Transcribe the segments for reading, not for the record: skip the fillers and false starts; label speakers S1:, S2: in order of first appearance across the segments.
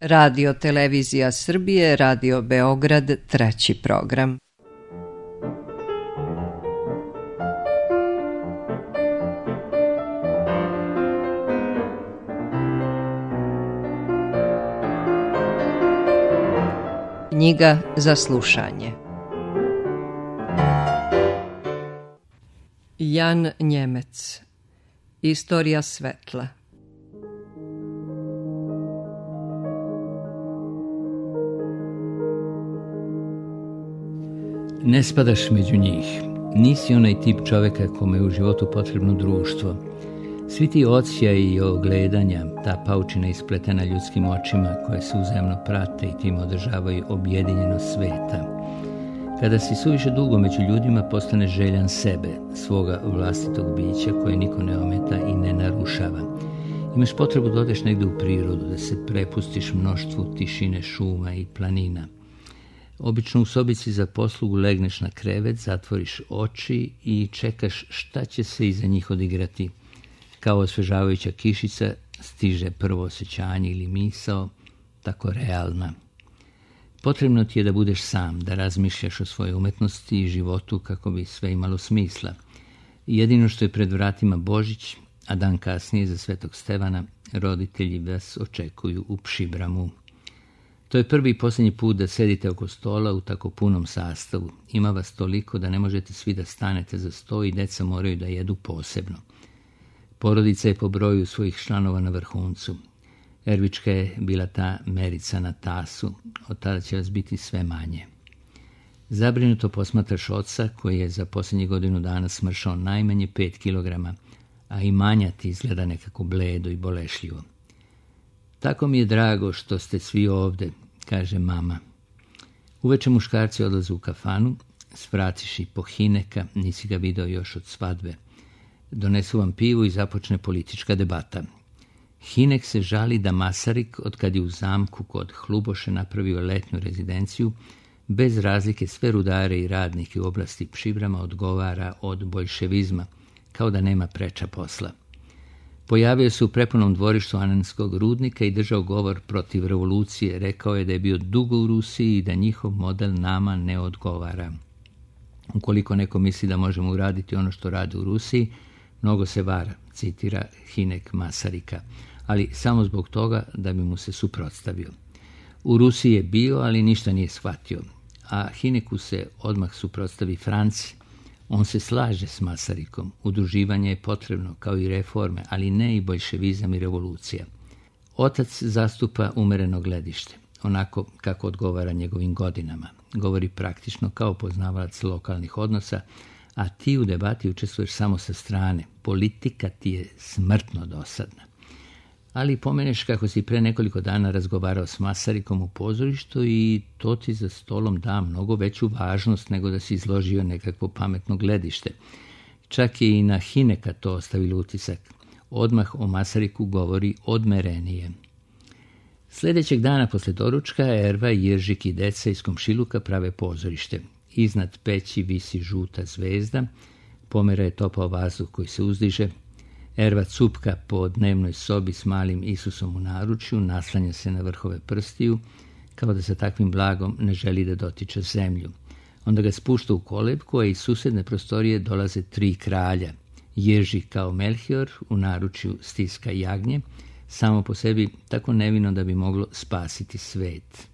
S1: Radio Televizija Srbije, Radio Beograd, treći program. Knjiga za slušanje. Jan Njemec. Istorija svetla.
S2: Ne spadaš među njih. Nisi onaj tip čoveka kome je u životu potrebno društvo. Svi ti odsjaji i ogledanja, ta paučina ispletena ljudskim očima koje se uzajamno prate i tim održavaju objedinjenost sveta. Kada si suviše dugo među ljudima, postane željan sebe, svoga vlastitog bića koje niko ne ometa i ne narušava. Imaš potrebu da odeš negdje u prirodu, da se prepustiš mnoštvu tišine šuma i planina. Obično u sobici za poslugu legneš na krevet, zatvoriš oči i čekaš šta će se iza njih odigrati. Kao osvežavajuća kišica stiže prvo osjećanje ili misao, tako realna. Potrebno ti je da budeš sam, da razmišljaš o svojoj umetnosti i životu kako bi sve imalo smisla. Jedino što je pred vratima Božić, a dan kasnije za Svetog Stevana, roditelji vas očekuju u Pšibramu. To je prvi i posljednji put da sedite oko stola u tako punom sastavu. Ima vas toliko da ne možete svi da stanete za sto i deca moraju da jedu posebno. Porodica je po broju svojih članova na vrhuncu. Ervička je bila ta merica na tasu, od tada će vas biti sve manje. Zabrinuto posmatraš oca koji je za posljednjih godinu dana smršao najmanje 5 kilograma, a i manja ti izgleda nekako bledo i bolešljivo. Tako mi je drago što ste svi ovde, kaže mama. Uveče muškarci odlaze u kafanu, svratiš i po Hineka, nisi ga video još od svadbe. Donesu vam pivu i započne politička debata. Hinek se žali da Masarik, otkad je u zamku kod Hluboše napravio letnju rezidenciju, bez razlike sve rudare i radnike u oblasti Pšibrama odgovara od boljševizma, kao da nema preča posla. Pojavio se u prepunom dvorištu Ananskog rudnika i držao govor protiv revolucije. Rekao je da je bio dugo u Rusiji i da njihov model nama ne odgovara. Ukoliko neko misli da možemo uraditi ono što radi u Rusiji, mnogo se vara, citira Hinek Masarika, ali samo zbog toga da bi mu se suprotstavio. U Rusiji je bio, ali ništa nije shvatio, a Hineku se odmah suprotstavi Franci. On se slaže s Masarikom, udruživanje je potrebno kao i reforme, ali ne i boljševizam i revolucija. Otac zastupa umereno gledište, onako kako odgovara njegovim godinama. Govori praktično kao poznavalac lokalnih odnosa, a ti u debati učestvuješ samo sa strane. Politika ti je smrtno dosadna. Ali pomeneš kako si pre nekoliko dana razgovarao s Masarikom u pozorištu i to ti za stolom da mnogo veću važnost nego da si izložio nekakvo pametno gledište. Čak je i na Hineka to ostavilo utisak. Odmah o Masariku govori odmerenije. Sljedećeg dana posle doručka Erva, Jiržik i deca iz komšiluka prave pozorište. Iznad peći visi žuta zvezda, pomera je topao vazduh koji se uzdiže. Erva cupka po dnevnoj sobi s malim Isusom u naručju, naslanja se na vrhove prstiju, kao da sa takvim blagom ne želi da dotiče zemlju. Onda ga spušta u kolebku, a iz susedne prostorije dolaze 3 kralja. Jiržik kao Melchior u naručju stiska jagnje, samo po sebi tako nevino da bi moglo spasiti svet.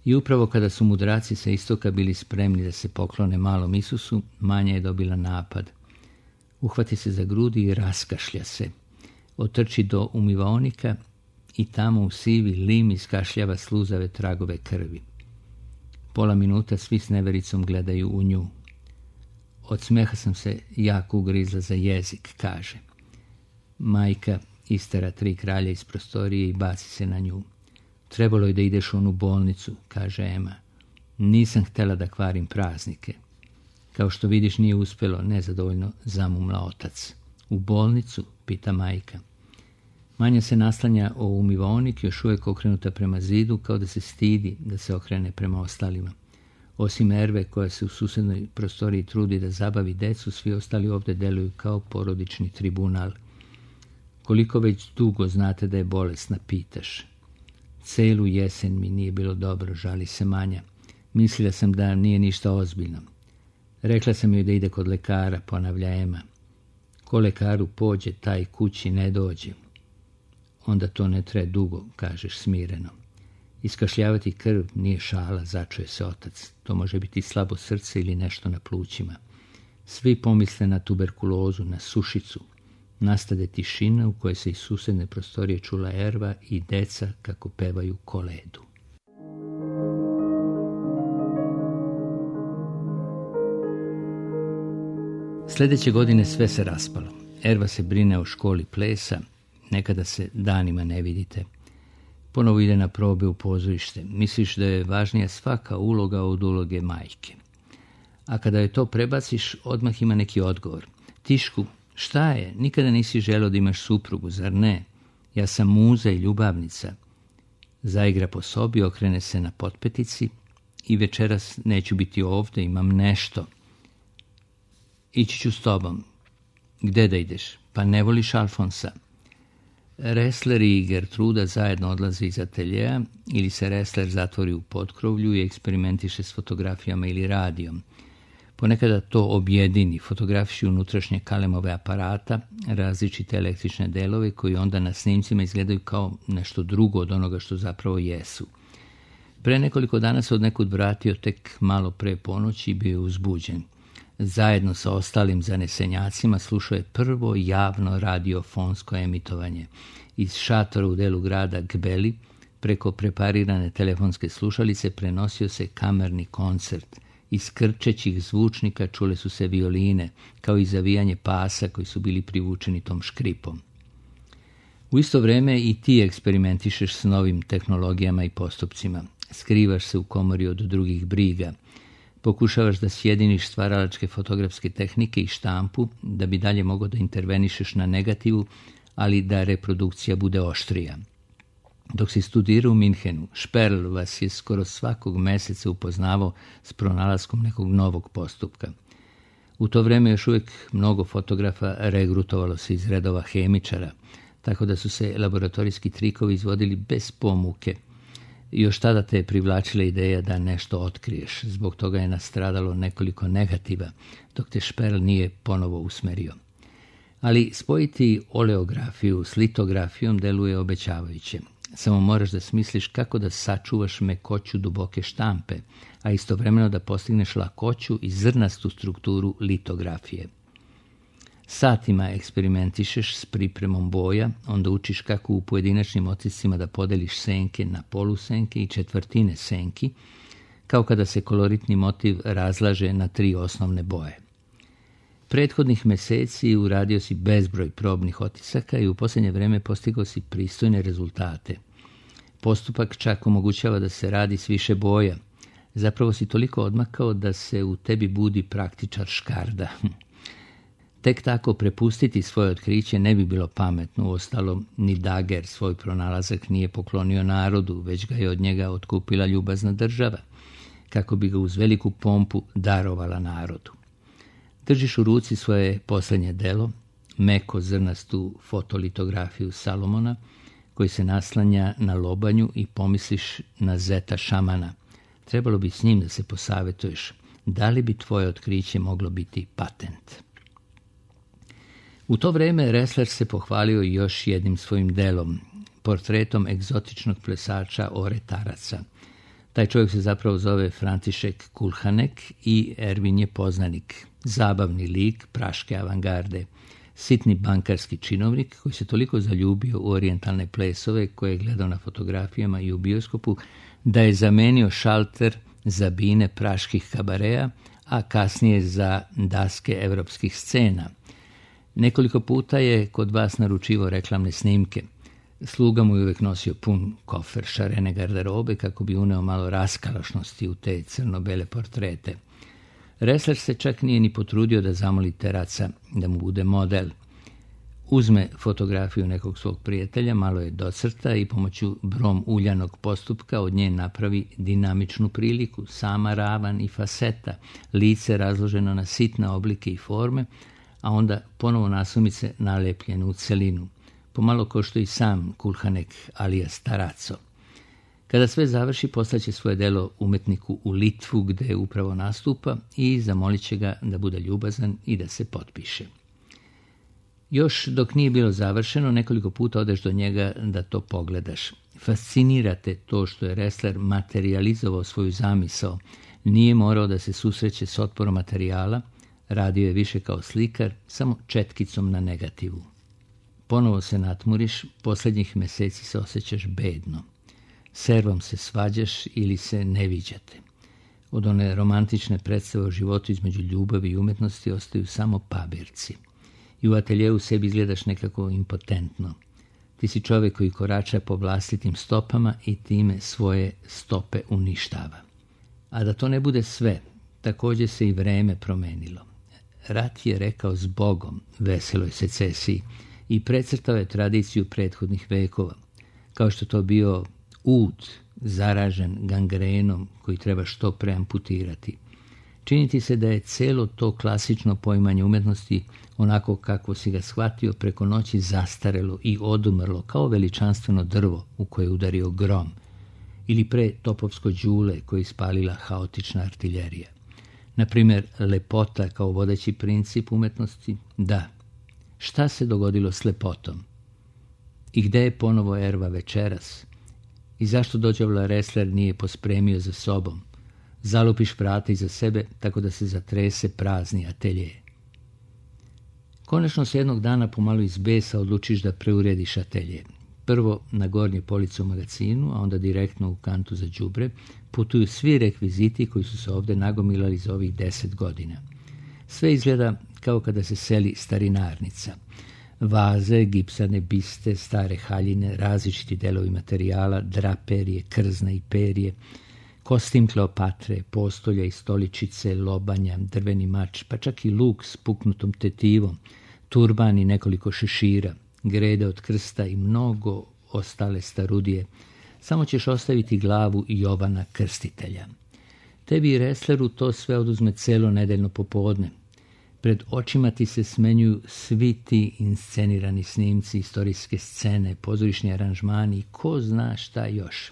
S2: I upravo kada su mudraci sa istoka bili spremni da se poklone malom Isusu, Manja je dobila napad. Uhvati se za grudi i raskašlja se. Otrči do umivaonika i tamo u sivi lim iskašljava sluzave tragove krvi. Pola minuta svi s nevericom gledaju u nju. Od smeha sam se jako ugrizla za jezik, kaže. Majka istera 3 kralja iz prostorije i baci se na nju. Trebalo je da ideš u onu bolnicu, kaže Ema. Nisam htjela da kvarim praznike. Kao što vidiš nije uspjelo, nezadovoljno zamumla otac. U bolnicu, pita majka. Manja se naslanja o umivaonik, još uvijek okrenuta prema zidu, kao da se stidi da se okrene prema ostalima. Osim Erve, koja se u susednoj prostoriji trudi da zabavi decu, svi ostali ovdje deluju kao porodični tribunal. Koliko već dugo znate da je bolesna, pitaš. Celu jesen mi nije bilo dobro, žali se Manja. Mislila sam da nije ništa ozbiljno. Rekla sam joj da ide kod lekara, ponavlja Ema. Ko lekaru pođe, taj kući ne dođe. Onda to ne traje dugo, kažeš smireno. Iskašljavati krv nije šala, začuje se otac. To može biti slabo srce ili nešto na plućima. Svi pomisle na tuberkulozu, na sušicu. Nastade tišina u kojoj se iz susedne prostorije čula Erva i deca kako pevaju koledu. Sljedeće godine sve se raspalo. Erva se brine o školi plesa, nekada se danima ne vidite. Ponovo ide na probe u pozorište. Misliš da je važnija svaka uloga od uloge majke. A kada je to prebaciš, odmah ima neki odgovor. Tišku, šta je? Nikada nisi želeo da imaš suprugu, zar ne? Ja sam muza i ljubavnica. Zaigra po sobi, okrene se na potpetici i večeras neću biti ovdje, imam nešto. Ići ću s tobom. Gde da ideš? Pa ne voliš Alfonsa. Ressler i Gertruda zajedno odlaze iz ateljeja ili se Ressler zatvori u potkrovlju i eksperimentiše s fotografijama ili radijom. Ponekada to objedini, fotografiši unutrašnje kalemove aparata, različite električne delove koji onda na snimcima izgledaju kao nešto drugo od onoga što zapravo jesu. Pre nekoliko dana se od nekud vratio tek malo pre ponoći i bio je uzbuđen. Zajedno sa ostalim zanesenjacima slušao je prvo javno radiofonsko emitovanje. Iz šatora u delu grada Gbeli preko preparirane telefonske slušalice prenosio se kamerni koncert. Iz krčećih zvučnika čule su se violine, kao i zavijanje pasa koji su bili privučeni tom škripom. U isto vrijeme i ti eksperimentišeš s novim tehnologijama i postupcima. Skrivaš se u komori od drugih briga. Pokušavaš da sjediniš stvaralačke fotografske tehnike i štampu, da bi dalje mogao da intervenišeš na negativu, ali da reprodukcija bude oštrija. Dok si studirao u Minhenu, Šperl vas je skoro svakog meseca upoznavao s pronalaskom nekog novog postupka. U to vrijeme još uvijek mnogo fotografa regrutovalo se iz redova hemičara, tako da su se laboratorijski trikovi izvodili bez pomuke. Još tada te je privlačila ideja da nešto otkriješ, zbog toga je nastradalo nekoliko negativa, dok te Šperl nije ponovo usmerio. Ali spojiti oleografiju s litografijom deluje obećavajuće. Samo moraš da smisliš kako da sačuvaš mekoću duboke štampe, a istovremeno da postigneš lakoću i zrnastu strukturu litografije. Satima eksperimentišeš s pripremom boja, onda učiš kako u pojedinačnim otiscima da podeliš senke na polusenke i četvrtine senki, kao kada se koloritni motiv razlaže na 3 osnovne boje. Prethodnih meseci uradio si bezbroj probnih otisaka i u posljednje vrijeme postigao si pristojne rezultate. Postupak čak omogućava da se radi s više boja. Zapravo si toliko odmakao da se u tebi budi praktičar škarda. Tek tako prepustiti svoje otkriće ne bi bilo pametno, uostalom ni Daguerre svoj pronalazak nije poklonio narodu, već ga je od njega otkupila ljubazna država, kako bi ga uz veliku pompu darovala narodu. Držiš u ruci svoje posljednje delo, meko zrnastu fotolitografiju Salomona, koji se naslanja na lobanju i pomisliš na zeta šamana. Trebalo bi s njim da se posavetuješ, da li bi tvoje otkriće moglo biti patent. U to vrijeme Ressler se pohvalio još jednim svojim delom, portretom egzotičnog plesača Oretaraca. Taj čovjek se zapravo zove František Kulhanek i Ervin je poznanik, zabavni lik praške avangarde, sitni bankarski činovnik koji se toliko zaljubio u orijentalne plesove koje je gledao na fotografijama i u bioskopu, da je zamenio šalter za bine praških kabareja, a kasnije za daske evropskih scena. Nekoliko puta je kod vas naručivao reklamne snimke. Sluga mu je uvijek nosio pun kofer šarene garderobe kako bi uneo malo raskalašnosti u te crno-bele portrete. Ressler se čak nije ni potrudio da zamoli Teraca da mu bude model. Uzme fotografiju nekog svog prijatelja, malo je docrta i pomoću brom uljanog postupka od nje napravi dinamičnu priliku, sama ravan i faseta, lice razloženo na sitne oblike i forme, a onda ponovo nasumice nalepljene u celinu. Pomalo ko što i sam Kulhanek alias Taraco. Kada sve završi, poslaće svoje delo umetniku u Litvu gdje upravo nastupa i zamolit će ga da bude ljubazan i da se potpiše. Još dok nije bilo završeno, nekoliko puta odeš do njega da to pogledaš. Fascinira te to što je Ressler materializovao svoju zamisao. Nije morao da se susreće s otporom materijala, radio je više kao slikar, samo četkicom na negativu. Ponovo se natmuriš, posljednjih mjeseci se osjećaš bedno. Servom se svađaš ili se ne viđate. Od one romantične predstave o životu između ljubavi i umjetnosti ostaju samo pabirci. I u ateljeu sebi izgledaš nekako impotentno. Ti si čovjek koji korača po vlastitim stopama i time svoje stope uništava. A da to ne bude sve, također se i vreme promenilo. Rat je rekao zbogom veseloj secesiji i precrtao je tradiciju prethodnih vekova, kao što to bio ud zaražen gangrenom koji treba što pre amputirati. Činiti se da je celo to klasično poimanje umjetnosti, onako kako si ga shvatio, preko noći zastarelo i odumrlo kao veličanstveno drvo u koje je udario grom, ili pre topovsko đule koje ispalila haotična artiljerija. Naprimjer, lepota kao vodeći princip umjetnosti, da. Šta se dogodilo s lepotom? I gde je ponovo Erva večeras? I zašto dođavla Ressler nije pospremio za sobom? Zalupiš vrata iza sebe tako da se zatrese prazni atelje. Konačno se jednog dana pomalo iz besa odlučiš da preurediš atelje. Prvo na gornje police u magazinu, a onda direktno u kantu za đubre, putuju svi rekviziti koji su se ovdje nagomilali za ovih 10 godina. Sve izgleda kao kada se seli starinarnica. Vaze, gipsane biste, stare haljine, različiti delovi materijala, draperije, krzna i perje, kostim Kleopatre, postolja i stoličice, lobanja, drveni mač, pa čak i luk s puknutom tetivom, turban i nekoliko šešira, grede od krsta i mnogo ostale starudije. Samo ćeš ostaviti glavu Jovana Krstitelja. Tebi i Ressleru to sve oduzme celo nedeljno popodne. Pred očima ti se smenjuju svi ti inscenirani snimci, istorijske scene, pozorišni aranžmani i ko zna šta još.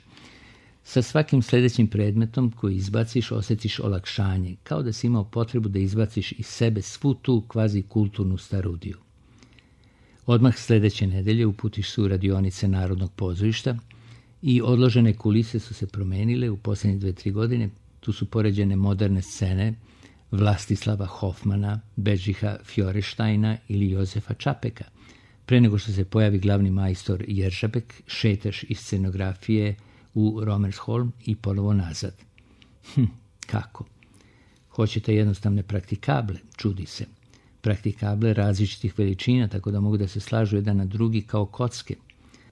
S2: Sa svakim sljedećim predmetom koji izbaciš osjetiš olakšanje, kao da si imao potrebu da izbaciš iz sebe svu tu kvazi kulturnu starudiju. Odmah sljedeće nedelje uputiš se u radionice Narodnog pozorišta i odložene kulise su se promenile u posljednje 2-3 godine. Tu su poređene moderne scene Vlastislava Hofmana, Bedžiha Fjoreštajna ili Jozefa Čapeka. Pre nego što se pojavi glavni majstor Jeržabek, šetaš iz scenografije u Romersholm i ponovo nazad. Kako? Hoćete jednostavne praktikable, čudi se. Praktikable različitih veličina, tako da mogu da se slažu jedan na drugi kao kocke.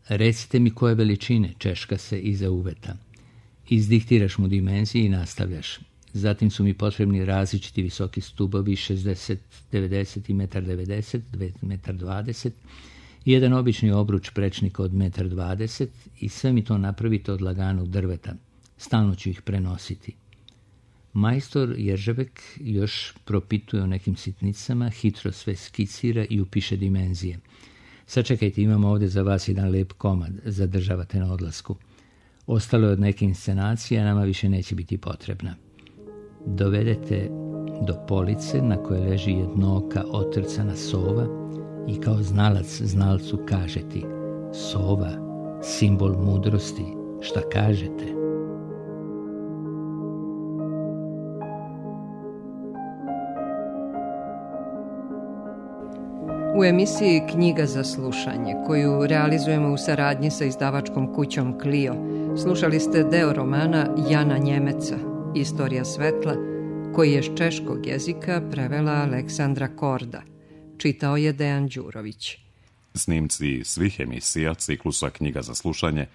S2: Recite mi koje veličine, češka se iza uveta. Izdiktiraš mu dimenzije i nastavljaš. Zatim su mi potrebni različiti visoki stubovi 60, 90 i 1,90 m, 2,20 m, i jedan obični obruč prečnika od 1,20 m i sve mi to napravite od laganog drveta. Stalno ću ih prenositi. Majstor Jeržabek još propituje o nekim sitnicama, hitro sve skicira i upiše dimenzije. Sačekajte, imamo ovdje za vas jedan lep komad, zadržavate na odlasku. Ostalo je od neke inscenacije, a nama više neće biti potrebna. Dovedete do police na kojoj leži jednooka otrcana sova i kao znalac znalcu kaže ti: sova, simbol mudrosti, šta kažete?
S1: U emisiji Knjiga za slušanje, koju realizujemo u saradnji sa izdavačkom kućom Clio, slušali ste deo romana Jana Njemeca, Istorija svetla, koji je s češkog jezika prevela Aleksandra Korda. Čitao je Dejan Đurović.
S3: Snimci svih emisija ciklusa Knjiga za slušanje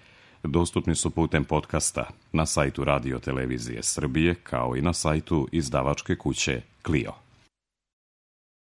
S3: dostupni su putem podcasta na sajtu Radio Televizije Srbije, kao i na sajtu izdavačke kuće Clio.